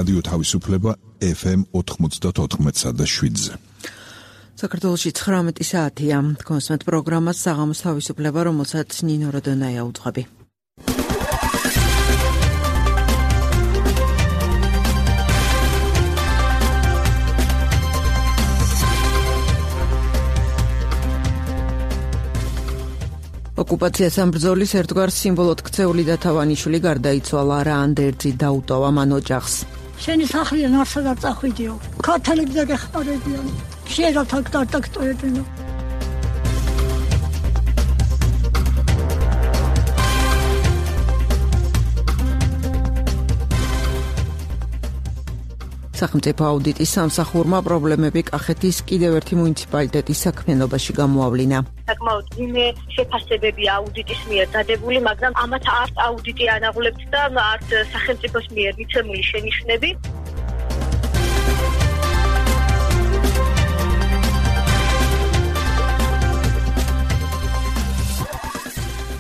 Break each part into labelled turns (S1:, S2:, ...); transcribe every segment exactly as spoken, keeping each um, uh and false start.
S1: რადიო თავისუფლება ეფ ემ ოთხმოცდაოთხ და შვიდზე.
S2: საქართველოში ცხრამეტი საათია. კონსმეთ პროგრამას საღამოს თავისუფლება, რომელსაც ნინო როდონაია უძღვები. ოკუპაციას ამ ბრძოლის ერთგვარ სიმბოლოდ ქცეული და თავანიშვილი გარდაიცვალა, რა ანდერძი დაუტოვა მან ოჯახს.
S3: შენი სახლია ნარსად არ წახვიდიო. ქართველები და გეხმარებიან. შეიძლება თაკ დარტაქტოებინო. სახელმწიფო აუდიტის სამსახურმა პრობლემები კახეთის კიდევ ერთი მუნიციპალიტეტის საქმიანობაში გამოავლინა.
S4: საკმაოდ ძიმე შეფასებები აუდიტის მიერ დადებული, მაგრამ ამათ არც აუდიტი ანაღლებთ და არც სახელმწიფოს მიერ მიცემული შენიშვნები.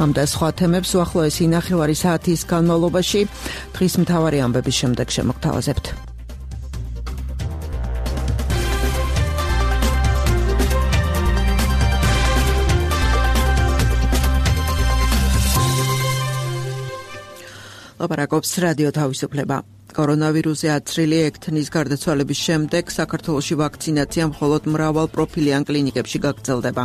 S2: ამ და სხვა თემებს უახლოესი ნახევარი საათის განმავლობაში დღის მთავარი ამბების შემდეგ შემოგთავაზებთ. ლაპარაკობს რადიო თავისუფლება. კორონავირუსზე აცრილი ექთნის გარდაცვალების შემდეგ საქართველოში ვაქცინაცია მხოლოდ მრავალ პროფილიან კლინიკებში გაგრძელდება.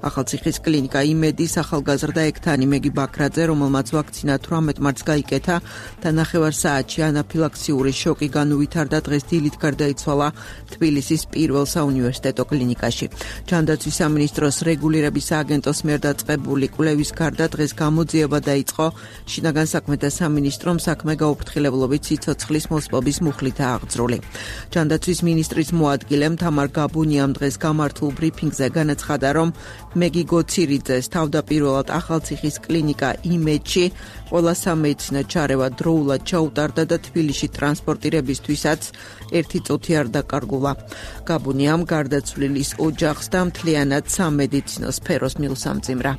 S2: ახალციხის კლინიკა იმედის ახალგაზრდა ექთანი მეგი ბაქრაძე, რომელმაც ვაქცინა თვრამეტ მარტს გაიკეთა და ნახევარ საათში ანაფილაქსიური შოკი განუვითარდა, დღეს დილით გარდაიცვალა თბილისის პირველ საუნივერსიტეტო კლინიკაში. ჯანდაცვის სამინისტროს რეგულირების სააგენტოს მიერ დაწყებული კვლევის გარდა დღეს გამოძიება დაიწყო შინაგან საქმეთა სამინისტრომ საქმე გაუფრთხილებლობით სიცოცხლის მოსპობის მუხლითაა აღძრული. ჯანდაცვის მინისტრის მოადგილემ თამარ გაბუნიამ დღეს გამართულ ბრიფინგზე განაცხადა, რომ მეგი გოცირიძეს თავდაპირველად ახალციხის კლინიკა იმედში ყველა სამედიცინო ჩარევა დროულად ჩაუტარდა და თბილისში ტრანსპორტირებისთვისაც ერთი წუთი არ დაკარგულა. გაბუნიამ გარდაცვლილის ოჯახს და მთლიანად სამედიცინო სფეროს მილსამძიმრა.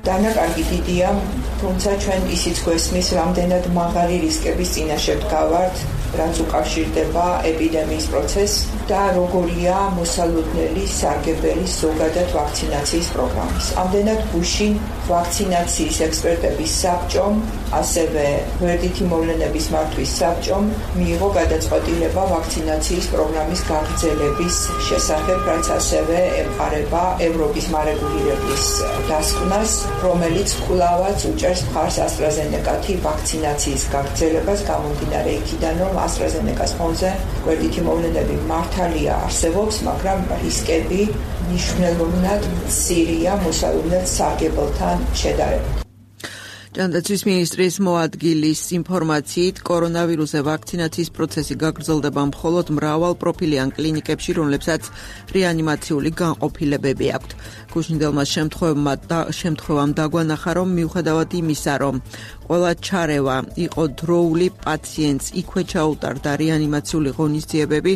S5: დანაკარგი დიდია, თუმცა ჩვენ ისიც გვესმის, რამდენად მაღალი რისკების წინაშე ვდგავართ, რაც უკავშირდება ეპიდემიის პროცესს და როგორია მოსალოდნელი სარგებელი ზოგადად ვაქცინაციის პროგრამის. ამდენად გუშინ ვაქცინაციის ექსპერტების საბჭომ, ასევე გვერდითი მოვლენების მართვის საბჭომ მიიღო გადაწყვეტილება ვაქცინაციის პროგრამის გაგრძელების შესახებ, რაც ასევე ემყარება ევროპის მარეგულირებლის დასკვნას, რომელიც კვლავაც უჭერს მხარს AstraZeneca-თი ვაქცინაციის გაგრძელებას, გამომდინარე იქიდან, რომ AstraZeneca-ს ფონზე გვერდითი მოვლენები მართალია არსებობს, მაგრამ რისკები მნიშვნელოვნად მცირეა მოსალოდნელ სარგებელთან შედარებით.
S2: ჯანდაცვის მინისტრის მოადგილის ინფორმაციით, კორონავირუსზე ვაქცინაციის პროცესი გაგრძელდება მხოლოდ მრავალ პროფილიან კლინიკებში, რომლებსაც რეანიმაციული განყოფილებები აქვთ. გუშინდელმა შემთხვევამ დაგვანახა, რომ მიუხედავად იმისა, რომ ყველა ჩარევა იყო დროული, პაციენტს იქვე ჩაუტარდა რეანიმაციული ღონისძიებები,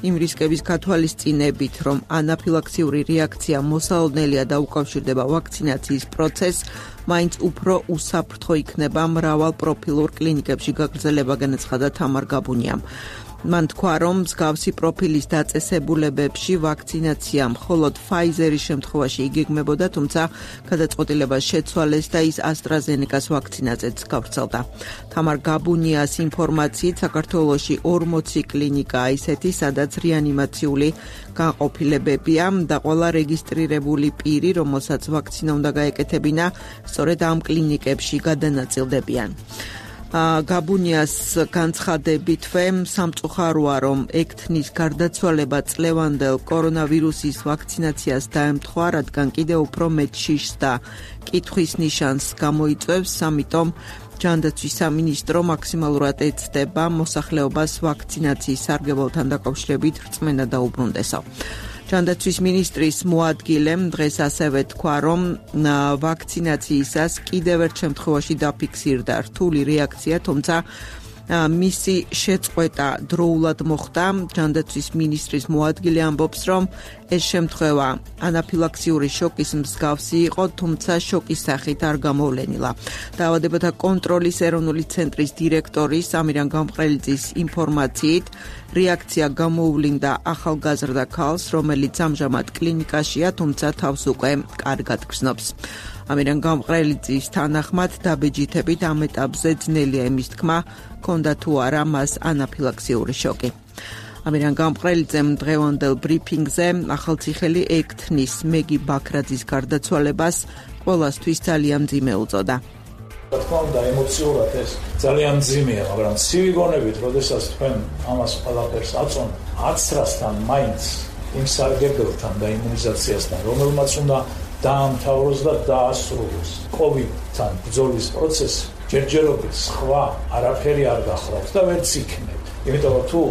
S2: იმ რისკების გათვალისწინებით, რომ ანაფილაქსიური რეაქცია მოსალოდნელია და უკავშირდება ვაქცინაციის პროცესს, მაინც უფრო უსაფრთხო იქნება მრავალ პროფილურ კლინიკებში გაგრძელება, განაცხადა თამარ გაბუნიამ. მან თქვა, რომ მსგავსი პროფილის დაწესებულებებში ვაქცინაცია მხოლოდ Pfizer-ის შემთხვევაში იგეგმებოდა, თუმცა გადაწყვეტილება შეცვალეს და ის AstraZeneca-ს ვაქცინაზეც გავრცელდა. თამარ გაბუნიას ინფორმაციით, საქართველოში ორმოცი კლინიკაა ისეთი, სადაც რეანიმაციული განყოფილებებია და ყველა რეგისტრირებული პირი, რომელსაც ვაქცინა უნდა გაეკეთებინა, სწორედ ამ კლინიკებში გადანაწილდებიან. გაბუნიას განცხადებითვე სამწუხაროა, რომ ექთნის გარდაცვალება წლევანდელ კორონავირუსის ვაქცინაციას დაემთხვა, რადგან კიდევ უფრო მეტ შიშს და კითხვის ნიშანს გამოიწვევს, ამიტომ ჯანდაცვის სამინისტრო მაქსიმალურად ეცდება მოსახლეობას ვაქცინაციის სარგებელთან დაკავშირებით რწმენა დაუბრუნდესო. ჯანდაცვის მინისტრის მოადგილემ დღეს ასევე თქვა, რომ ვაქცინაციისას კიდევ ერთ შემთხვევაში დაფიქსირდა რთული რეაქცია, თუმცა მისი შეწყვეტა დროულად მოხდა. ჯანდაცვის მინისტრის მოადგილე ამბობს, რომ ეს შემთხვევა ანაფილაქსიური შოკის მსგავსი იყო, თუმცა შოკის სახით არ გამოვლენილა. დაავადებათა კონტროლის ეროვნული ცენტრის დირექტორი სამირან გამყრელიძის ინფორმაციით, რეაქცია გამოუვლინდა ახალგაზრდა ქალს, რომელიც ამჟამად კლინიკაშია, თუმცა თავს უკვე კარგად გრძნობს. ამირან გამყრელიძის თანახმად დაბეჯითებით ამ ეტაპზე ძნელია იმის თქმა, ჰქონდა თუ არა მას ანაფილაქსიური შოკი. ამირან გამყრელიძემ დღევანდელ ბრიფინგზე ახალციხელი ექთნის მეგი ბაქრაძის გარდაცვალებას ყველასთვის ძალიან მძიმე უწოდა.
S6: რა თქმა უნდა, ემოციურად ეს ძალიან მძიმეა, მაგრამ ცივი გონებით, როდესაც თქვენ ამას ყველაფერს აწონ, აცრასთან მაინც იმ სარგებელთან და იმუნიზაციასთან, რომელმაც უნდა დაამთავროს და დაასრულოს კოვიდთან ბრძოლის პროცესი, ჯერჯერობით სხვა არაფერი არ გახლავთ და ვერც იქნებ. იმიტომ რომ თუ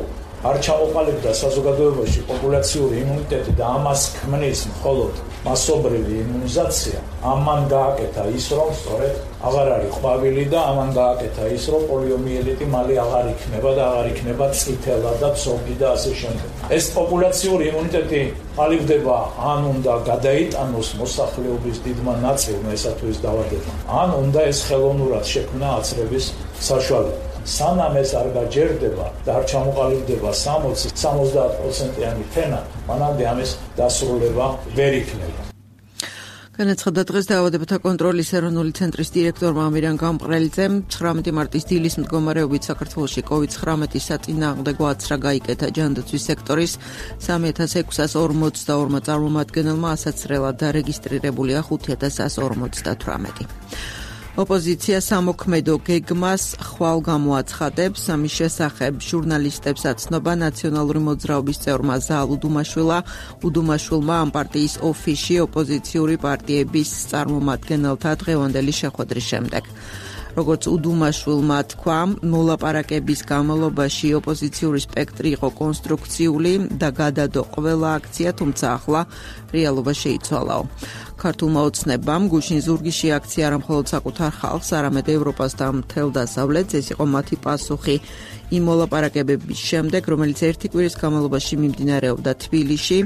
S6: არ ჩამოყალიბდა საზოგადოებაში პოპულაციური იმუნიტეტი და ამას ქმნის მხოლოდ მასობრივი იმუნიზაცია, ამან გააკეთა ის, რომ სწორედ აღარ არის ყვავილი და ამან გააკეთა ის, რომ პოლიომიელიტი მალე აღარ იქნება და აღარ იქნება წითელა და ცოგი და ასე შემდეგ. ეს პოპულაციური იმუნიტეტი ყალიბდება, ან უნდა გადაიტანოს მოსახლეობის დიდმა ნაწილმა ესა თუ ის დაავადება, ან უნდა ეს ხელოვნურად შექმნა აცრების საშუალება. სანამ ეს არ გაჯერდება და არ ჩამოყალიბდება სამოცი სამოცდაათ პროცენტიანი ფენა, მანამდე ამის დასრულება ვერ იქნება.
S2: განაცხადა დღეს დაავადებათა კონტროლის ეროვნული ცენტრის დირექტორმა ამირან გამყრელიძემ, ცხრამეტი მარტის დილის მდგომარეობით საქართველოში კოვიდ ცხრამეტი საწინააღმდეგო აცრა გაიკეთა ჯანდაცვის სექტორის სამი ათას ექვსას ორმოცდაორმა წარმომადგენელმა, ასაცრელად დარეგისტრირებულია ხუთი ათას ასს ორმოცდათვრამეტი. ოპოზიცია სამოქმედო გეგმას ხვალ გამოაცხადებს. ამის შესახებ ჟურნალისტებს აცნობა ნაციონალური მოძრაობის წევრმა ზაალ უდუმაშვილა. უდუმაშვილმა ამ პარტიის ოფისში ოპოზიციური პარტიების წარმომადგენელთა დღევანდელი შეხვედრის შემდეგ. როგორც უდუმაშვილმა თქვა, მოლაპარაკების განმავლობაში ოპოზიციური სპექტრი იყო კონსტრუქციული და გადადო ყველა აქცია, თუმცა ახლა რეალობა შეიცვალაო. ქართულმა ოცნებამ გუშინ ზურგიში აქცია არა მხოლოდ საკუთარ ხალხს, არამედ ევროპას და მთელ დასავლეთს. ეს იყო მათი პასუხი იმ მოლაპარაკებების შემდეგ, რომელიც ერთი კვირის განმავლობაში მიმდინარეობდა თბილისში.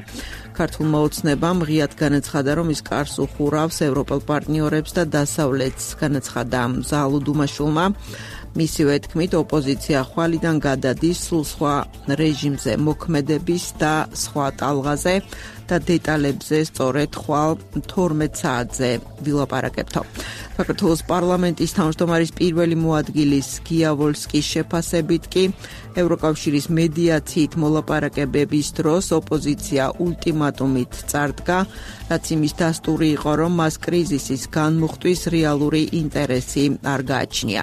S2: ქართულმა ოცნებამ ღიად განაცხადა, რომ ის კარს უხურავს ევროპელ პარტნიორებს და დასავლეთს. განაცხადა ზაალ უდუმაშვილმა. მისივე თქმით, ოპოზიცია ხვალიდან გადადის სულ სხვა რეჟიმზე მოქმედების და სხვა ტალღაზე და დეტალებზე სწორედ ხვალ თორმეტ საათზე ვილაპარაკებთო. საქართველოს პარლამენტის თავმჯდომარის პირველი მოადგილის გია ვოლსკის შეფასებით კი ევროკავშირის მედიაციით მოლაპარაკებების დროს ოპოზიცია ულტიმატუმით წარდგა, რაც იმის დასტური იყო, რომ მას კრიზისის განმუხტვის რეალური ინტერესი არ გააჩნია.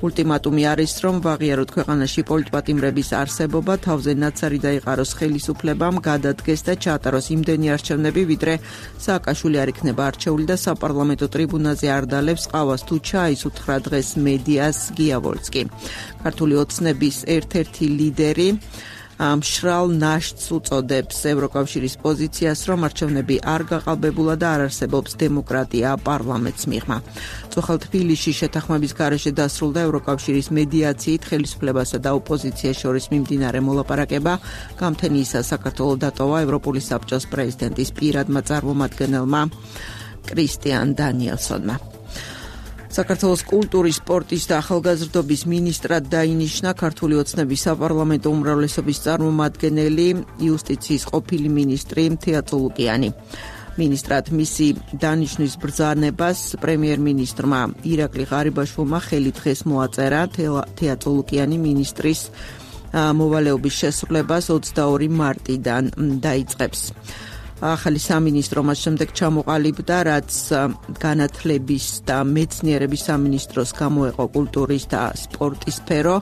S2: ულტიმატუმი არის, რომ ვაღიაროთ ქვეყანაში პოლიტპატიმრების არსებობა, თავზე ნაცარი დაიყაროს ხელისუფლებამ, გადადგეს და ჩაატაროს იმდენი არჩევნები, ვიდრე სააკაშვილი არ იქნება არჩეული და საპარლამენტო ტრიბუნაზე არ დალევს ყავას თუ ჩაის, უთხრა დღეს მედიას გია ვოლსკი. ქართული ოცნების ერთ-ერთი ლიდერი მშრალ ნაშთს უწოდებს ევროკავშირის პოზიციას, რომ არჩევნები არ გაყალბებულა და არ არსებობს დემოკრატია პარლამენტს მიღმა. წუხელ თბილისში შეთანხმების გარეშე დასრულდა ევროკავშირის მედიაციით ხელისუფლებასა და ოპოზიციას შორის მიმდინარე მოლაპარაკება. გამთენიისა საქართველოს დატოვა ევროპული საბჭოს პრეზიდენტის პირადმა წარმომადგენელმა კრისტიან დანიელსონმა. საქართველოს კულტურის, სპორტის და ახალგაზრდობის მინისტრად დაინიშნა ქართული ოცნების საპარლამენტო უმრავლესობის წარმომადგენელი, იუსტიციის ყოფილი მინისტრი თეატრო ლუკიანი. მინისტრად მისი დანიშნვის ბრძანებას პრემიერ-მინისტრმა ირაკლი ღარიბაშვილმა ხელი დღეს მოაწერა. თეატრო ლუკიანი მინისტრის მოვალეობის შესრულებას ოცდაორი მარტიდან დაიწყებს. ახალი სამინისტრო მას შემდეგ ჩამოყალიბდა, რაც განათლების და მეცნიერების სამინისტროს გამოეყო კულტურის და სპორტის სფერო.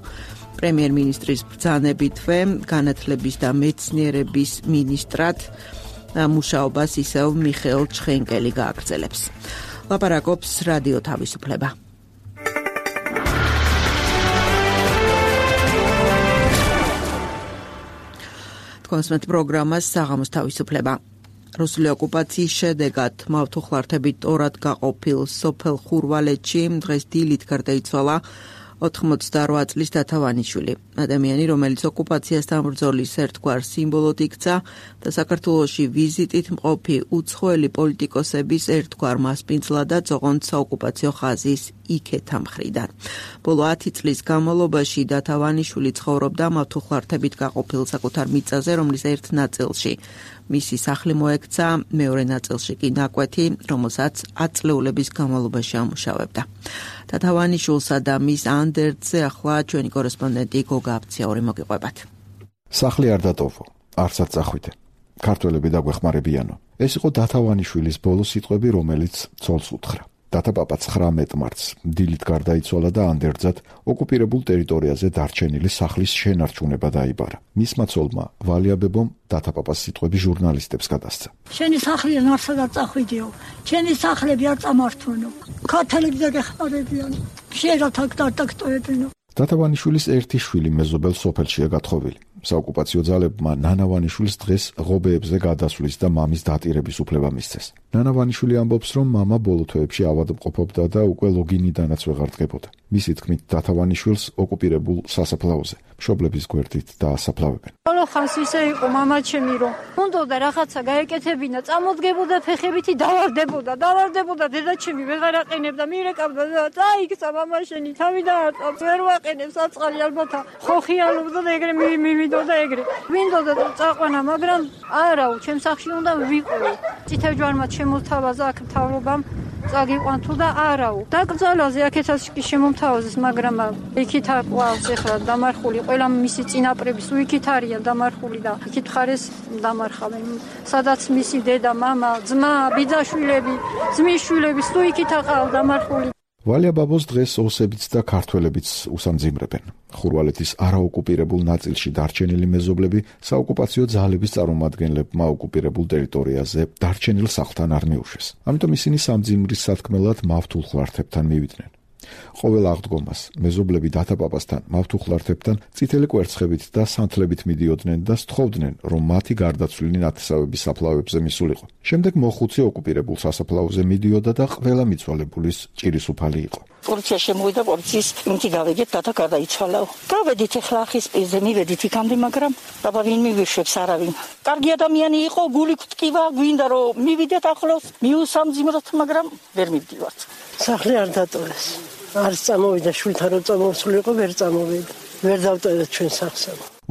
S2: პრემიერ-მინისტრის ბრძანებითვე განათლების და მეცნიერების მინისტრად მუშაობას ისევ მიხეილ ჩხენკელი გააგრძელებს. ლაპარაკობს რადიო თავისუფლება. კონსმეთ პროგრამას საღამოს თავისუფლება. რუსული ოკუპაციის შედეგად მავთუხლართებით ორად გაყოფილ სოფელ ხურვალეთში დღეს დილით გარდაიცვალა ოთხმოცდაორ წლის დათავანიშვილი. ადამიანი, რომელიც ოკუპაციასთან ბრძოლის ერთგვარ სიმბოლოდ იქცა და საქართველოში ვიზიტით მყოფი უცხოელი პოლიტიკოსების ერთგვარ მასპინძლადაც ოღონდ საოკუპაციო ხაზის იქეთა მხრიდან. ბოლო ათი წლის განმავლობაში დათავანიშვილი ცხოვრობდა მავთუხლართებით გაყოფილ საკუთარ მიწაზე, რომლის ერთ ნაწილში მისი სახლი მოექცა, მეორე ნაწილში კი ნაკვეთი, რომელსაც ათწლეულების განმავლობაში ამუშავებდა. დათავანიშვილსა და მის ანდერძზე ახლა ჩვენი კორესპონდენტი გოგა აბციური მოგიყვებათ.
S1: სახლი არ დატოვო, არცად წახვიდე. ქართველები დაგვეხმარებიანო. ეს იყო დათავანიშვილის ბოლო სიტყვები, რომელიც ცოლს უთხრა. დათაპაპა ცხრამეტ მარტს დილით გარდაიცვალა და ანდერძად ოკუპირებულ ტერიტორიაზე დარჩენილი სახლის შენარჩუნება დაიბარა. მისმა ცოლმა ვალიაბებომ დათაპაპას სიტყვები ჟურნალისტებს გადასცა.
S7: შენი სახლიდან არსადაც წახვიდიო, შენი სახლები არ წამართვენო, ქართველები დაგეხმარებიან, შეიძლება აქ დარტაქტოებინო.
S1: დათავანიშვილის ერთი შვილი მეზობელ სოფელშია გათხოვილი. საოკუპაციო ძალებმა ნანავანიშვილს დღეს ღობეებზე გადასვლის და მამის დატირების უფლება მისცეს. ნანავანიშვილი ამბობს, რომ მამა ბოლო თვეებში ავადმყოფობდა და უკვე ლოგინიდანაც ვეღარ დგებოდა. მისი თქმით, დათავანიშვილს ოკუპირებულ სასაფლაოზე მშობლების გვერდით დაასაფლავებენ.
S7: ბოლო ხანს ისე იყო მამა ჩემი, რომ უნდოდა რაღაცა გაეკეთებინა, წამოდგებოდა ფეხებითი დავარდებოდა, დავარდებოდა დედაჩემი ვეღარ აყენებდა, მირეკავდა და წაიქცა მამა შენი, თავი დააწავს, ვერ ვაყენებს აწყალი ალბათ ხოხიანობდა და ეგრე მივიდოდა ეგრე. ვინდოდა წაყვანა, მაგრამ არაუ, ჩემ სახლში უნდა ვიყო. წითელჯვარმა შემოთავაზა აქ მთავრობამ წაგიყვან თუ და არაუ. დაკრძალვაზე აქეთაც კი შემომთავაზეს, მაგრამ იქით ყავს ახლა დამარხული ყველა მისი წინაპრების უიქით არიან დამარხული და იქით ხარეს დამარხავენ. სადაც მისი დედა, მამა, ძმა, ბიძაშვილები, ძმის შვილები თუ იქით აყავ დამარხული.
S1: ვალია ბაბოს დღეს ოსებიც და ქართველებიც უსამძიმრებენ. ხურვალეთის არაოკუპირებულ ნაწილში დარჩენილი მეზობლები საოკუპაციო ძალების წარმომადგენლებმა ოკუპირებულ ტერიტორიაზე დარჩენილ სახლთან არ მიუშვეს. ამიტომ ისინი სამძიმრის სათქმელად მავთულხლართებთან მივიდნენ. ყოველ აღდგომას მეზობლები დათაპაპასთან, მავთუხლართებთან წითელი კვერცხებით და სანთლებით მიდიოდნენ და სთხოვდნენ, რომ მათი გარდაცვლილი ნათესავების საფლავებზე მისულიყო. შემდეგ მოხუცი ოკუპირებულ სასაფლაოზე მიდიოდა და ყველა მიცვალებულის ჭირისუფალი იყო.
S8: პოლიცია შემოვიდა, პოლიციის იმითი გავიგეთ, დათა გარდაიცვალაო. გავედით ახლა ახის პირზე, მივედით იქამდე, მაგრამ დაბა ვინ მივიშვებს არავინ. კარგი ადამიანი იყო, გული გვტკივა, გვინდა რომ მივიდეთ ახლოს, მიუსამძიმროთ, მაგრამ ვერ მივდივართ.
S9: სახლი არ დატოვეს. არ წამოვიდა, შვილთან რო წამოსულიყო, ვერ წამოვიდა. ვერ დავტოვეთ ჩვენ სახლს.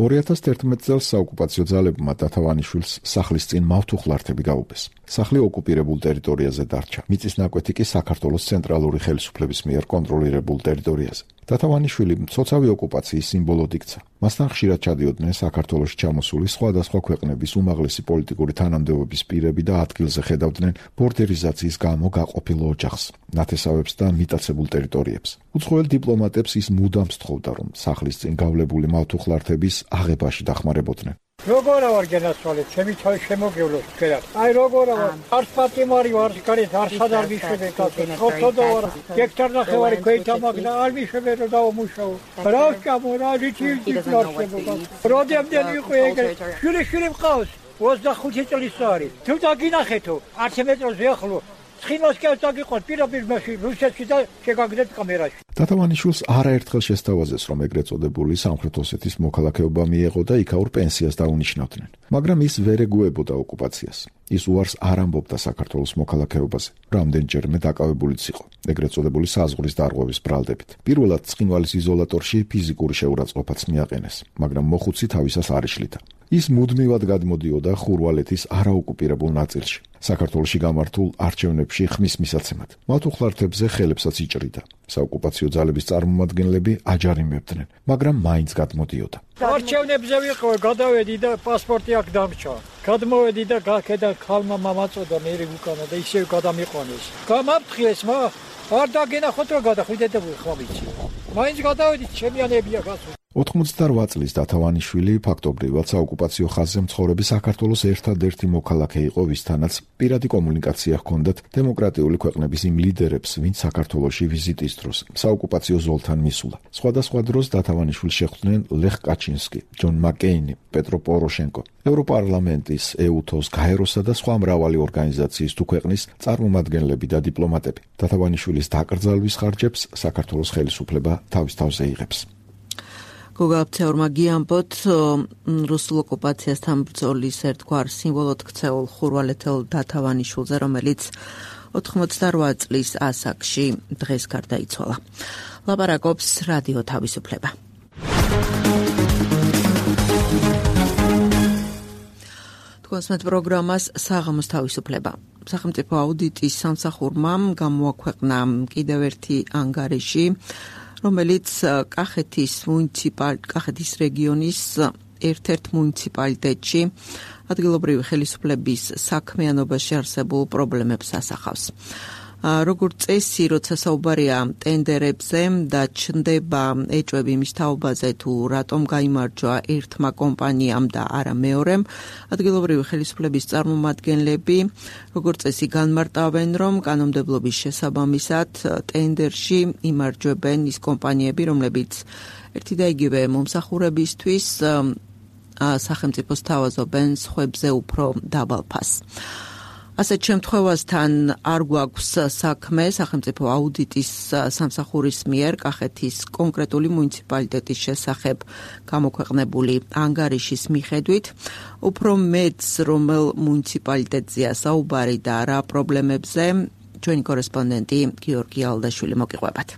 S1: ორი ათას ერთმეტ წელს საოკუპაციო ძალებმა დათავანიშვილს სახლის წინ მავთუხლართები გაუგეს. სახლი ოკუპირებულ ტერიტორიაზე დარჩა. მიწის ნაკვეთი კი საქართველოს ცენტრალური ხელისუფლების მიერ კონტროლირებულ ტერიტორიაზე. დათავანიშვილი მცოცავი ოკუპაციის სიმბოლოდ იქცა. მასთან ხშირად ჩადიოდნენ საქართველოში ჩამოსული სხვადასხვა ქვეყნების უმაღლესი პოლიტიკური თანამდებობის პირები და ადგილზე ხედავდნენ ბორდერიზაციის გამო გაყოფილ ოჯახს, ნათესავებს და მიტაცებულ ტერიტორიებს. უცხოელ დიპლომატებს ის მუდამ სთხოვდა, რომ სახლის წინ გავლებული მავთუხლართების აღებაში დახმარებოდნენ.
S10: როგორ ვარ გენასვალე, ჩემი თავი შემოგევლოს თქვენად. აი როგორ ვარ, არც პატიმარი ვარ, გარეთ არ სადარ მიშვებე კაცო. ხოთოდო ვარ, გექტარ ნახევარი ქვეითა მაგდა, არ მიშვებე რომ დავმუშაო. რა ვჭამო, რა ლიჩილში ფლორშებო. როდემდენ იყო ეგრე, შვილი შვილი მყავს, ოცდახუთი წლის არის. თუ დაგინახეთო, ათი მეტროზე ახლო. ცხინოს კი დაგიყოთ პირობիր მაშინ რუსეთში და შეგაგდეთ კამერაში.
S1: დათავანიშვილს არაერთხელ შესთავაზეს, რომ ეგრეთ წოდებული სამხრეთ ოსეთის მოქალაქეობა მიეღო და იქაურ პენსიას დაუნიშნავდნენ. მაგრამ ის ვერ ეგუებოდა ოკუპაციას. ის უარს არ ამბობდა საქართველოს მოქალაქეობაზე. რამდენჯერმე დაკავებულიც იყო ეგრეთ წოდებული საზღვრის დარღვევის ბრალდებით. პირველად ცხინვალის იზოლატორში ფიზიკური შეურაცხყოფაც მიაყენეს, მაგრამ მოხუცი თავისას არ იშლიდა. ის მუდმივად გადმოდიოდა ხურვალეთის არაოკუპირებულ ნაწილში. საქართველოში გამართულ არჩევნებში ხმის მისაცემად. მავთუხლართებზე ხელებსაც იჭრიდა. საოკუპაციო ძალების წარმომადგენლები აჯარიმებდნენ, მაგრამ მაინც გადმოდიოდა.
S10: არჩევნებზე ვიყო, გადავედი და პასპორტი აქ დამრჩა. გადმოვედი და გაქედა ხალმა მამაწოდა მერი უკანა და ისევ გადამიყვანეს. გამაფრთხილეს, მა არ დაგენახოთ რომ გადახვიდეთ და ხმა ვიცი. მაინც გადავედი, ჩემიანებია გასულ.
S1: ოთხმოცდაოთხ წლის დათავანიშვილი ფაქტობრივად საოკუპაციო ხაზზე მცხოვრები საქართველოს ერთადერთი მოქალაქე იყო, ვისთანაც პირადი კომუნიკაცია ჰქონდათ დემოკრატიული ქვეყნების იმ ლიდერებს, ვინც საქართველოში ვიზიტის დროს საოკუპაციო ზოლთან მისულა. სხვადასხვა დროს დათავანიშვილს შეხვდნენ ლეხ კაჩინსკი, ჯონ მაკეინი, პეტრო პოროშენკო, ევროპარლამენტის, ეუთოს, გაეროსა და სხვა მრავალი ორგანიზაციის თუ ქვეყნის წარმომადგენლები და დიპლომატები. დათავანიშვილის დაკრძალვის ხარჯებს საქართველოს ხელისუფლება თავის თავზე იღებს.
S3: გოგაბცეორმა გიამბოთ რუსულ ოკუპაციასთან ბრძოლის ერთგვარ სიმბოლოდ ქცეულ ხურვალეთელ დათავანიშვილზე, რომელიც ოთხმოცდაოთხ წლის ასაკში დღეს გარდაიცვალა. ლაპარაკობს რადიო თავისუფლება. თქვენს პროგრამას საღამოს თავისუფლება. სახელმწიფო აუდიტის სამსახურმა გამოაქვეყნა კიდევ ერთი ანგარიში, რომელიც კახეთის მუნიციპალ კახეთის რეგიონის ერთ-ერთ მუნიციპალიტეტში ადგილობრივი ხელისუფლების საქმიანობაში არსებულ პრობლემებს ასახავს. როგორც წესი, როცა საუბარია ტენდერებზე და ჩნდება ეჭვები მის თაობაზე თუ რატომ გაიმარჯვა ერთმა კომპანიამ და არა მეორემ, ადგილობრივი ხელისუფლების წარმომადგენლები როგორც წესი განმარტავენ, რომ კანონმდებლობის შესაბამისად ტენდერში იმარჯვებენ ის კომპანიები, რომლებიც ერთი და იგივე მომსახურებისთვის სახელმწიფოს თავაზობენ სხვებზე უფრო დაბალ ფასს. ასეთ შემთხვევასთან არ გვაქვს საქმე სახელმწიფო აუდიტის სამსახურის მიერ კახეთის კონკრეტული მუნიციპალიტეტის შესახებ გამოქვეყნებული ანგარიშის მიხედვით, უფრო მეც რომელ მუნიციპალიტეტზეა საუბარი და რა პრობლემებზე, ჩვენი კორესპონდენტი გიორგი ალდაშვილი მოგიყვებათ.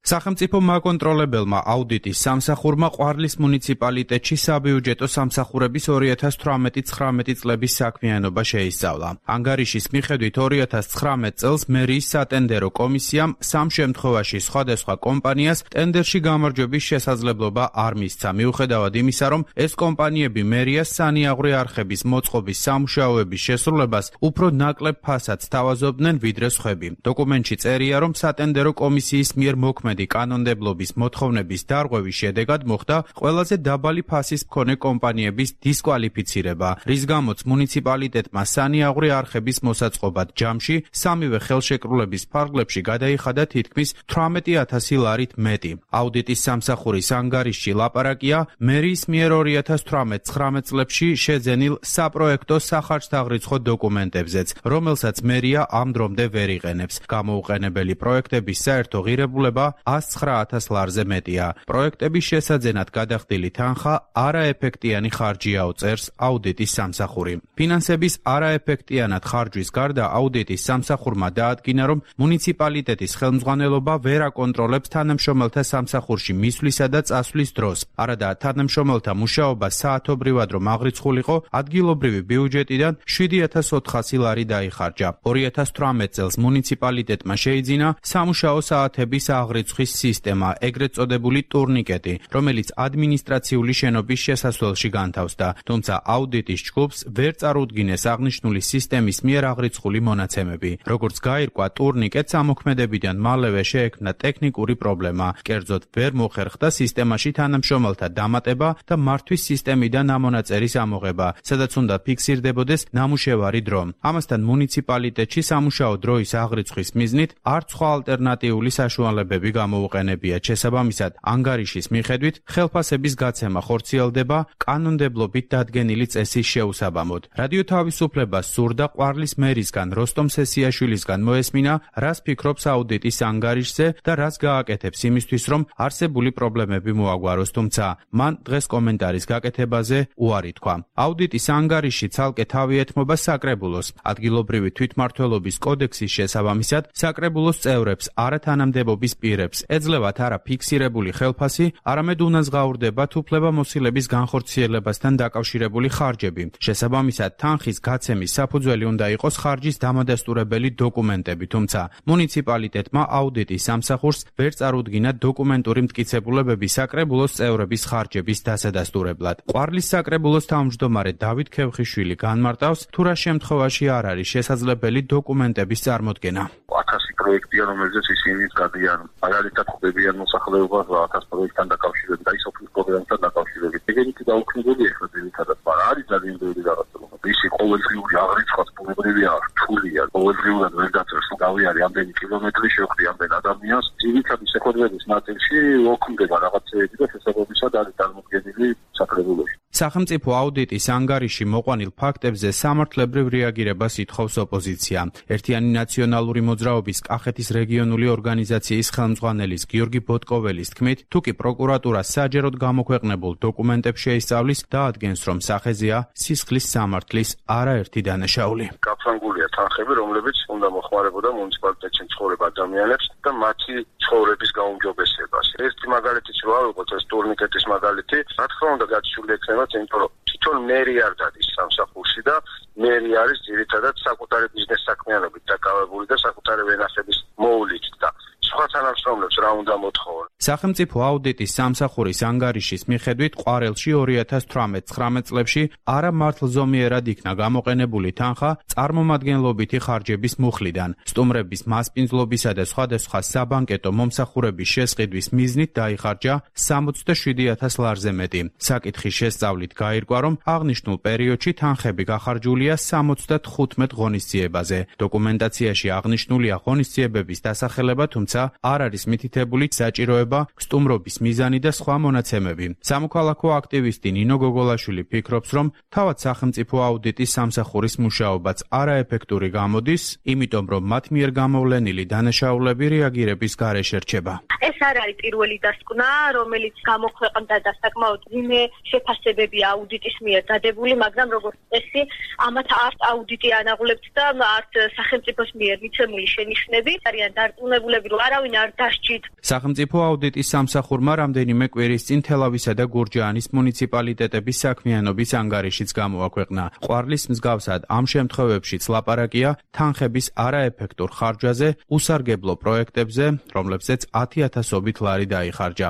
S11: სახელმწიფო მაკონტროლებელმა აუდიტის სამსახურმა ყვარლის მუნიციპალიტეტში საბიუჯეტო სამსახურების ორი ათას თვრამეტი ცხრამეტი წლების საქმიანობა შეისწავლა. ანგარიშის მიხედვით ორი ათას ცხრამეტ წელს მერიის სატენდერო კომისიამ სამ შემთხვევაში სხვადასხვა კომპანიას ტენდერში გამარჯვების შესაძლებლობა არ მისცა, მიუხედავად იმისა, რომ ეს კომპანიები მერიას სანიაღვრე არხების მოწყობის სამუშაოების შესრულებას უფრო ნაკლებ ფასად თავაზობდნენ ვიდრე სხვები. დოკუმენტში წერია, რომ სატენდერო კომისიის მიერ მოქმედი კანონმდებლობის მოთხოვნების დარღვევის შედეგად მოხდა ყველაზე დაბალი ფასის მქონე კომპანიების დისკვალიფიცირება, რის გამოც მუნიციპალიტეტმა სანიაღვრე არხების მოსაწყობად ჯამში სამივე ხელშეკრულების ფარგლებში გადაიხადა თითქმის თვრამეტი ათასი ლარით მეტი. აუდიტის სამსახურის ანგარიშში ლაპარაკია მერიის მიერ ორი ათას თვრამეტ ცხრამეტ წლებში შეძენილ საპროექტო სახარჯთაღრიცხო დოკუმენტებზეც, რომელსაც მერია ამ დრომდე ვერ იყენებს. გამოუყენებელი პროექტების საერთო ღირებულება ას ცხრა ათას ლარზე მეტია. პროექტების შესაძენად გადახდილი თანხა არაეფექტიანი ხარჯია, წერს აუდიტის სამსახური. ფინანსების არაეფექტიანად ხარჯვის გარდა აუდიტის სამსახურმა დაადგინა, რომ მუნიციპალიტეტის ხელმძღვანელობა ვერ აკონტროლებს თანამშრომელთა სამსახურში მისვლისა და წასვლის დროს. არადა თანამშრომელთა მუშაობა საათობრივად რომ აღრიცხულიყო, ადგილობრივი ბიუჯეტიდან შვიდი ათას ოთხასი ლარი დაიხარჯა. ორი ათას თვრამეტ წელს მუნიციპალიტეტმა შეიძინა სამუშაო საათების აღრიცხვის სისტემა, ეგრეთ წოდებული ტურნიკეტი, რომელიც ადმინისტრაციული შენობის შესასვლელში განთავსდა, თუმცა აუდიტის ჯგუფს ვერ წარუდგინეს აღნიშნული სისტემის მიერ აღრიცხული მონაცემები. როგორც გაირკვა, ტურნიკეტს ამოქმედებიდან მალევე შეექმნა ტექნიკური პრობლემა, კერძოდ ვერ მოხერხდა სისტემაში თანამშრომელთა დამატება და მართვის სისტემიდან ამონაწერის ამოღება, სადაც უნდა ფიქსირდებოდეს ნამუშევარი დრო. ამასთან მუნიციპალიტეტში სამუშაო დროის აღრიცხვის მიზნით არც სხვა ალტერნატიული საშუალებები გამოუყენებიათ. შესაბამისად, ანგარიშის მიხედვით ხელფასების გაცემა ხორციელდება კანონმდებლობით დადგენილი წესის შეუსაბამოდ. რადიო თავისუფლებას სურდა ყვარლის მერისგან როსტომ სესიაშვილისგან მოესმინა, რას ფიქრობს აუდიტის ანგარიშზე და რას გააკეთებს იმისთვის, რომ არსებული პრობლემები მოაგვაროს, თუმცა მან დღეს კომენტარის გაკეთებაზე უარი თქვა. აუდიტის ანგარიში ცალკე თავი ეთმობა საკრებულოს. ადგილობრივი თვითმმართველობის კოდექსის შესაბამისად, საკრებულოს წევრებს არათანამდებობის პირებს ეძლევათ არა ფიქსირებული ხელფასი, არამედ უნაზღაურდებათ უფლებამოსილების განხორციელებასთან დაკავშირებული ხარჯები. შესაბამისად, თანხის გაცემის საფუძველი უნდა იყოს ხარჯის დამადასტურებელი დოკუმენტები, თუმცა მუნიციპალიტეტმა აუდიტის სამსახურს ვერ წარუდგინა დოკუმენტური მტკიცებულებები საკრებულოს წევრების ხარჯების დასადასტურებლად. ყვარლის საკრებულოს თავმჯდომარე დავით ქევხიშვილი განმარტავს, თუ რა შემთხვევაში არ არის შესაძლებელი დოკუმენტების წარმოდგენა.
S12: ათასი პროექტია, რომელზეც ისინი გადიან, მაგალითად ხვდებიან მოსახლეობას ათას პროექტთან დაკავშირებით, აი სოფლის პროგრამთან დაკავშირებით. ეგეთი დაუქმებული ახლა ძირითადად, მაგრამ არის ძალიან ბევრი რაღაცა. ისი ყოველდღიური აღრიცხვაც ბუნებრივია, რთულია, ყოველდღიურად ვერ დაწერს, გავი არის ამდენი კილომეტრი შევხვდი ამდენ ადამიანს. ძირითადი შეხვედრების ნაწილში ოქმდება რაღაცეები და შესაბამისად არის წარმოდგენილი საკრებულოში.
S11: სახელმწიფო აუდიტის ანგარიში მოყვანილ ფაქტებზე სამართლებრივ რეაგირებას ითხოვს ოპოზიცია. ერთიანი ნაციონალური მოძრაობის კახეთის რეგიონული ორგანიზაციის ხელმძღვანელის გიორგი ბოტკოველის თქმით, თუ კი პროკურატურა საჯეროდ გამოქვეყნებულ დოკუმენტებს შეისწავლის, დაადგენს, რომ სახეზეა სისხლის სამართლის არაერთი დანაშაული.
S12: გაფრანგულია თანხები, რომლებიც უნდა მოხმარებოდა მუნიციპალიტეტში მცხოვრებ ადამიანებს და მათი ცხოვრების გაუმჯობესებას. ერთი მაგალითიც რა ვიყოთ, ეს ტურნიკეტის მაგალითი, რა თქმა უნდა გაცვლილი ექნება, იმიტომ რომ თვითონ მერი არ დადის სამსახურში და მერი არის ძირითადად საკუთარი ბიზნეს საქმიანობით დაკავებული და საკუთარი ვენახების მოვლით და სხვა თანამშრომლებს რა უნდა მოთხოვონ.
S11: სახელმწიფო აუდიტის სამსახურის ანგარიშის მიხედვით ყვარელში ორი ათას თვრამეტ ცხრამეტ წლებში არა მართლზომიერად იქნა გამოყენებული თანხა წარმომადგენლობითი ხარჯების მუხლიდან. სტუმრების მასპინძლობისა და სხვადასხვა საბანკეტო მომსახურების შესყიდვის მიზნით დაიხარჯა სამოცდაშვიდი ათას ლარზე მეტი. საკითხის შესწავლით გაირკვა, რომ აღნიშნულ პერიოდში თანხები გახარჯულია სამოცდათხუთმეტ ღონისძიებაზე. დოკუმენტაციაში აღნიშნულია ღონისძიებების დასახელება, თუმცა არ არის მითითებული საჭიროება, სტუმრობის მიზანი და სხვა მონაცემები. სამოქალაქო აქტივისტი ნინო გოგოლაშვილი ფიქრობს, რომ თავად სახელმწიფო აუდიტის სამსახურის მუშაობაც არაეფექტური გამოდის, იმიტომ რომ მათ მიერ გამოვლენილი დანაშაულები რეაგირების გარეშე რჩება.
S4: ეს არ არის პირველი დასკვნა, რომელიც გამოქვეყნდა და საკმაოდ ძიმე შეფასებებია აუდიტის მიერ დადებული, მაგრამ როგორც წესი, ამათ არც აუდიტი ანაღლებთ და არც სახელმწიფოს მიერ მიცემული შენიშვნები არიან დარწმუნებულები, რომ არავინ არ დასჭით.
S11: სახელმწიფო აუდიტის სამსახურმა რამდენიმე კვირის წინ თელავისა და გურჯაანის მუნიციპალიტეტების საქმიანობის ანგარიშიც გამოაქვეყნა. ყვარლის მსგავსად ამ შემთხვევებშიც ლაპარაკია თანხების არაეფექტურ ხარჯვაზე, უსარგებლო პროექტებზე, რომლებზეც ათი ათასობით ლარი დაიხარჯა.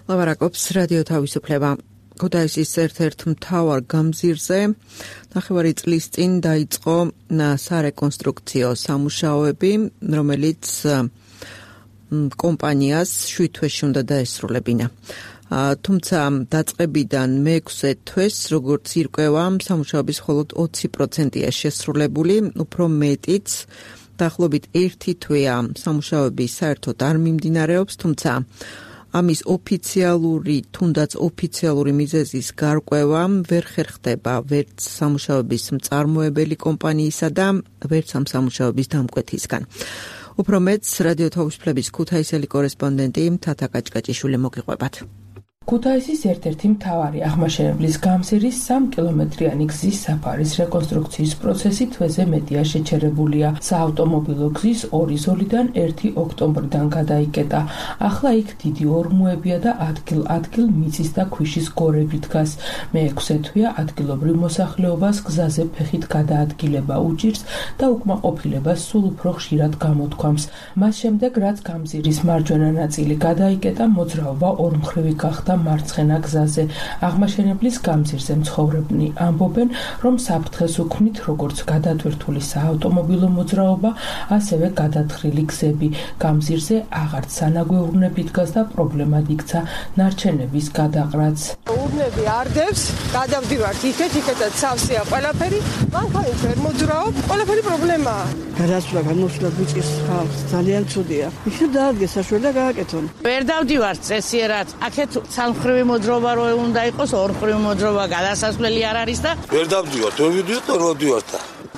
S2: ლაპარაკობს რადიო თავისუფლება. ქუთაისის ერთ-ერთ მთავარ გამზირზე ნახევარი წლის წინ დაიწყო სარეკონსტრუქციო სამუშაოები, რომელიც კომპანიას შვიდ თვეში უნდა დაესრულებინა. თუმცა დაწყებიდან მეექვსე თვეს, როგორც ირკვევა, სამუშაოების მხოლოდ ოცი პროცენტია შესრულებული, უფრო მეტიც დაახლოებით ერთი თვეა სამუშაოები საერთოდ არ მიმდინარეობს, თუმცა ამის ოფიციალური, თუნდაც ოფიციალური მიზეზის გარკვევა ვერ ხერხდება ვერც სამუშაოების მწარმოებელი კომპანიისა და ვერც ამ სამუშაოების დამკვეთისგან. უფრო მეც რადიო თავისუფლების ქუთაისელი კორესპონდენტი თათა კაჭკაჭიშვილი მოგიყვებათ.
S13: ქუთაისის ერთ-ერთი მთავარი აღმაშენებლის გამზირის სამ კილომეტრიანი გზის საფარის რეკონსტრუქციის პროცესი თვეზე მეტია შეჩერებულია. საავტომობილო გზის ორი ზოლიდან ერთი ოქტომბრიდან გადაიკეტა. ახლა იქ დიდი ორმოებია და ადგილ-ადგილ მიწის და ქვიშის გორები დგას. მეექვსე თვეა ადგილობრივ მოსახლეობას გზაზე ფეხით გადაადგილება უჭირს და უკმაყოფილებას სულ უფრო ხშირად გამოთქვამს. მას შემდეგ, რაც გამზირის მარჯვენა ნაწილი გადაიკეტა, მოძრაობა ორმხრივი გახდა მარცხენა გზაზე. აღმაშენებლის გამზირზე მცხოვრებნი ამბობენ, რომ საფრთხეს უქმნით როგორც გადატვირთული საავტომობილო მოძრაობა, ასევე გადათხრილი გზები. გამზირზე აღარც სანაგვეურნები დგას და პრობლემად იქცა ნარჩენების გადაყრაც.
S14: ურნები არდებს, გადავდივართ იქეთ, იქეთაც სავსეა ყველაფერი, მანქანით ვერ მოძრაობ, ყველაფერი პრობლემაა.
S9: გადასვლა, გამოსვლა გვიწის ხალხს ძალიან ცუდია. ისე დაადგეს საშუალება და გააკეთონ.
S15: ვერ დავდივართ წესიერად. აქეთ სამხრივი მოძრაობა რო უნდა იყოს, ორმხრივი მოძრაობა გადასასვლელი არ არის და
S16: ვერ დავდივართ, ვერ ვიდივართ, ვერ ვადივართ.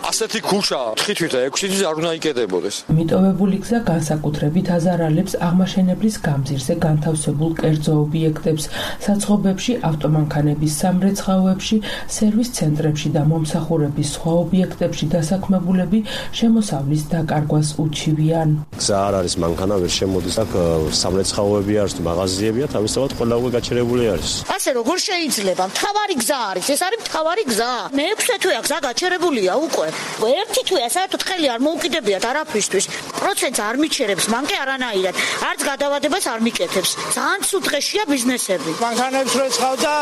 S16: ასეთი ქუშა ხითვით და ექვსი თვის არ უნდა იკეტებოდეს.
S13: მიტოვებული გზა განსაკუთრებით აზარალებს აღმაშენებლის გამზირზე განთავსებულ კერძო ობიექტებს, საცხობებში, ავტომანქანების სამრეცხაოებში, სერვის ცენტრებში და მომსახურების სხვა ობიექტებში დასაქმებულები შემოსავლის დაკარგვას უჩივიან.
S17: გზა არ არის, მანქანა ვერ შემოდის, აქ სამრეცხაოები არის, მაღაზიებია, თავისთავად ყველა უკვე გაჩერებული არის.
S8: ასე როგორ შეიძლება? მთავარი გზა არის, ეს არის მთავარი გზა. მეექვსე თვეა გზა გაჩერებულია უკვე. ერთი თვეა საერთოდ ხელი არ მოუკიდებიათ არაფრისთვის.
S18: პროცენტს არ მიჩერებს, მან კი არანაირად, არც გადავადებას არ მიკეთებს. ძალიან ცუდ დღეშია ბიზნესები.
S19: მანქანებს როცხავდა,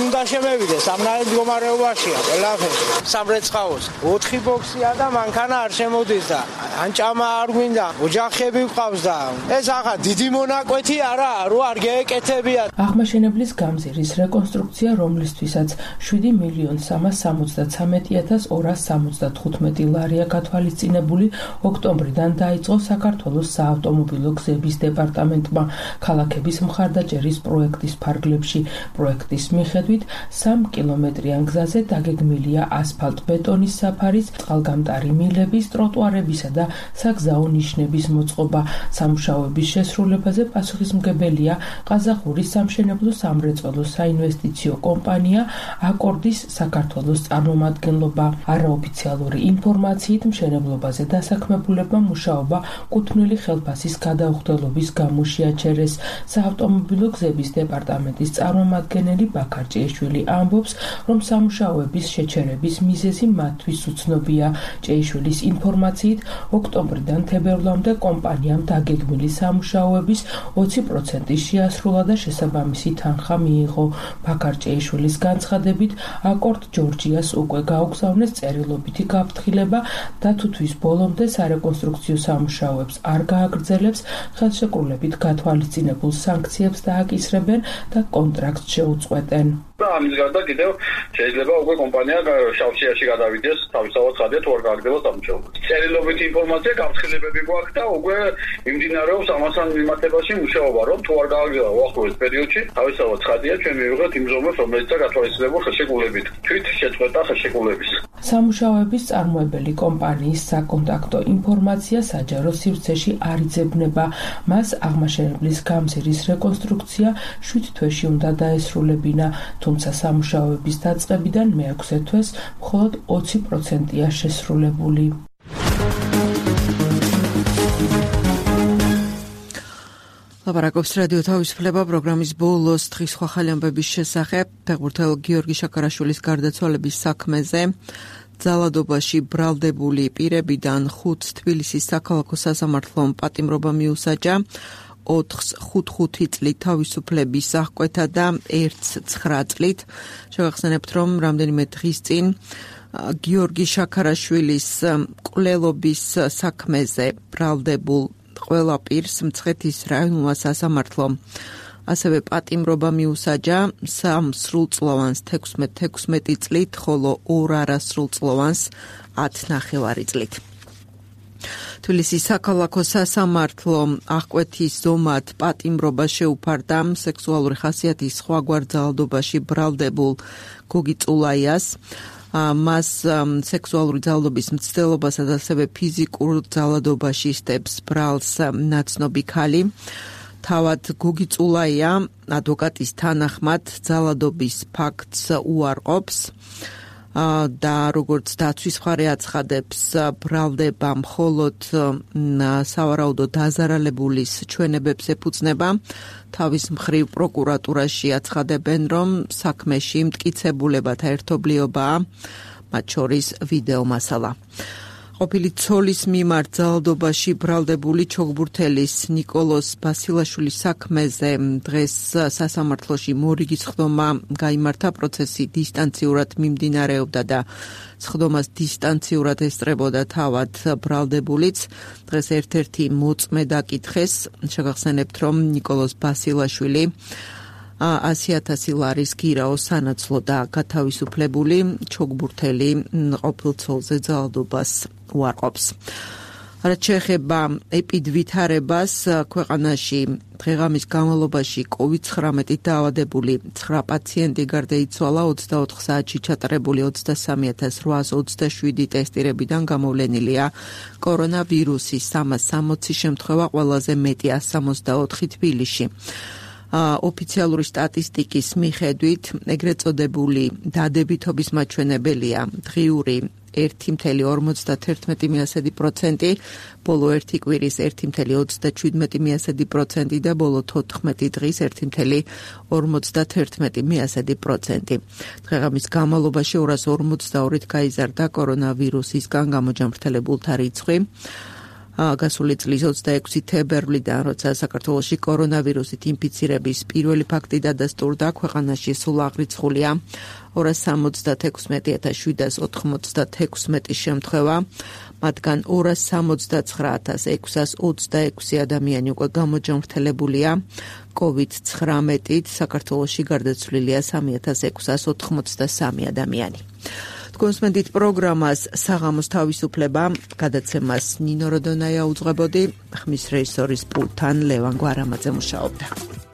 S19: უნდა შემევიდეს, ამნაირ მდგომარეობაშია ყველაფერი. სამრეცხაოს ოთხი ბოქსია და მანქანა არ შემოდის და ან ჭამა არ გვინდა, ოჯახები გვყავს და ეს ახლა დიდი მონაკვეთი არაა, რო არ გეეკეთებია.
S13: აღმაშენებლის გამზირის რეკონსტრუქცია, რომლისთვისაც შვიდი მილიონი სამას სამოცდათრამეტი ათას ორას სამოცდათხუთმეტი ლარია გათვალისწინებული, ოქტომბრიდან დაიწყო საქართველოს საავტომობილო გზების დეპარტამენტმა ქალაქების მხარდაჭერის პროექტის ფარგლებში. პროექტის მიხედვით სამი კილომეტრიან გზაზე დაგეგმილია ასფალტ-ბეტონის საფარის, წყალგამტარი მილების, ტროტუარებისა და საგზაო ნიშნების მოწყობა. სამუშაოების შესრულებაზე პასუხისმგებელია ყაზახური სამშენებლო სამრეწველო საინვესტიციო კომპანია აკორდის საქართველოს წარმომადგენლობა. არაოფიციალური ინფორმაციით მშენებლობაზე დასაქმებულებმა მუშაობა კუთვნილი ხელფასის გადაუხდელობის გამო შეაჩერეს. საავტომობილო გზების დეპარტამენტის წარმომადგენელი ბაქარ ჭეიშვილი ამბობს, რომ სამუშაოების შეჩერების მიზეზი მათთვის უცნობია. ჭეიშვილის ინფორმაციით, ოქტომბრიდან თებერვლამდე კომპანიამ დაგეგმილი სამუშაოების ოცი პროცენტი შეასრულა და შესაბამისი თანხა მიიღო. ბაქარ ჭეიშვილის განცხადებით, აკორდ ჯორჯიას უკვე გაუგზავნეს წერილობითი გაფრთხილება და თუთვის ბოლომდე სარეკონსტრუქციო სამუშაოებს არ გააგრძელებს, ხელშეკრულებით გათვალისწინებულ სანქციებს დააკისრებენ და კონტრაქტს შეუწყვეტენ.
S12: ამის გარდა კიდევ შეიძლება უკვე კომპანია შავშიაში გადავიდეს თავისთავად ხადია თუ არ გააგრძელოს სამუშაო. წერილობითი ინფორმაცია გაფრთხილებები გვაქვს და უკვე იმდინარეობს ამასთან მიმართებაში მუშაობა, რომ თუ არ გააგრძელა უახლოეს პერიოდში თავისთავად ხადია ჩვენ მივიღეთ იმ ზომებს, რომელიც გათვალისწინებულ ხელშეკრულებით თვით შეწყვეტა ხელშეკრულების.
S13: სამუშაოების წარმოებელი კომპანიის საკონტაქტო ინფორმაცია საჯარო სივრცეში არ იძებნება. მას აღმაშენებლის გამზირის რეკონსტრუქცია შვიდ თვეში უნდა დაესრულებინა, თუმცა სამუშაოების დაწყებიდან მეექვსე თვეს მხოლოდ ოცი პროცენტია შესრულებული.
S2: ლაპარაკობს რადიო თავისუფლება პროგრამის ბოლოს დღის სხვა ხალი ამბების შესახებ ფეხბურთელ გიორგი შაქარაშვილის გარდაცვალების საქმეზე. ძალადობაში ბრალდებული პირებიდან ხუთს თბილისის საქალაქო სასამართლომ პატიმრობა მიუსაჯა. ოთხს ხუთ-ხუთი წლით თავისუფლების აღკვეთა და ერთს ცხრა წლით. შევახსენებთ, რომ რამდენიმე დღის წინ გიორგი შაქარაშვილის მკვლელობის საქმეზე ბრალდებულ ყველა პირს მცხეთის რაიონულმა სასამართლომ ასევე პატიმრობა მიუსაჯა სამ სრულწლოვანს თექვსმეტი წლით, ხოლო ორ არასრულწლოვანს ათი ნახევარი წლით. თბილისის საქალაქო სასამართლო აღკვეთის ზომად პატიმრობა შეუფარდა სექსუალური ხასიათის სხვაგვარ ძალადობაში ბრალდებულ გოგი წულაიას. მას სექსუალური ძალადობის მცდელობასა და ასევე ფიზიკურ ძალადობაში ისტებს ბრალს ნაცნობი ქალი. თავად გოგი წულაია ადვოკატის თანახმად ძალადობის ფაქტს უარყოფს და როგორც დაცვის მხარე აცხადებს, ბრალდება მხოლოდ სავარაუდო დაზარალებულის ჩვენებებს ეფუძნება. თავის მხრივ პროკურატურაში აცხადებენ, რომ საქმეში მტკიცებულებათა ერთობლიობაა, მათ შორის ვიდეო მასალა. ყოფილი ცოლის მიმართ ძალადობაში ბრალდებული ჩოგბურთელის ნიკოლოს ბასილაშვილის საქმეზე დღეს სასამართლოში მორიგის ხდომა გაიმართა. პროცესი დისტანციურად მიმდინარეობდა და სხდომას დისტანციურად ესწრებოდა თავად ბრალდებულიც. დღეს ერთ-ერთი მოწმე დაკითხეს. შეგახსენებთ, რომ ნიკოლოს ბასილაშვილი ასი ათასი ლარის გირაო სანაცვლო და გათავისუფლებული ჩოგბურთელი ყოფილ ცოლზე ძალადობას უარყოფს. რაც შეეხება ეპიდვითარებას, ქვეყანაში დღეღამის განმავლობაში კოვიდ ცხრამეტით დაავადებული ცხრა პაციენტი გარდაიცვალა, ოცდაოთხ საათში ჩატარებული ოცდასამი ათას რვაას ოცდაშვიდი ტესტირებიდან გამოვლენილია კორონავირუსის სამას სამოცი შემთხვევა, ყველაზე მეტი ასი სამოცდაოთხი თბილისში. ოფიციალური სტატისტიკის მიხედვით ეგრეთ წოდებული დადებითობის მაჩვენებელია დღიური ერთი წელი ორმოცდათერთმეტი პროცენტი, ბოლო ერთი კვირის ერთი წელი ოცდაშვიდმეტი პროცენტი და ბოლო თოთხმეტი დღის ერთი წელი ორმოცდათერთმეტი პროცენტი. დღეღამის განმავლობაში ორას ორმოცდაორით გაიზარდა კორონავირუსისგან გამოჯამრთელებულთა რიცხვი. გასული წლის ოცდაექვსი თებერვლიდან, როცა საქართველოში კორონავირუსით ინფიცირების პირველი ფაქტი დადასტურდა, ქვეყანაში სულ აღრიცხულია ორას სამოცდათექვსმეტი ათას შვიდას ოთხმოცდათექვსმეტი შემთხვევა, მათგან ორას სამოცდაცხრა ათას ექვსას ოცდაექვსი ადამიანი უკვე გამოჯანმრთელებულია კოვიდ ცხრამეტით, საქართველოში გარდაცვლილია სამი ათას ექვსას ოთხმოცდასამი ადამიანი. კონსმენდით პროგრამას საღამოს თავისუფლება გადაცემას ნინო როდონაია უძღვებოდი, ხმის რეჟისორის პულტთან ლევან გვარამაძე მუშაობდა.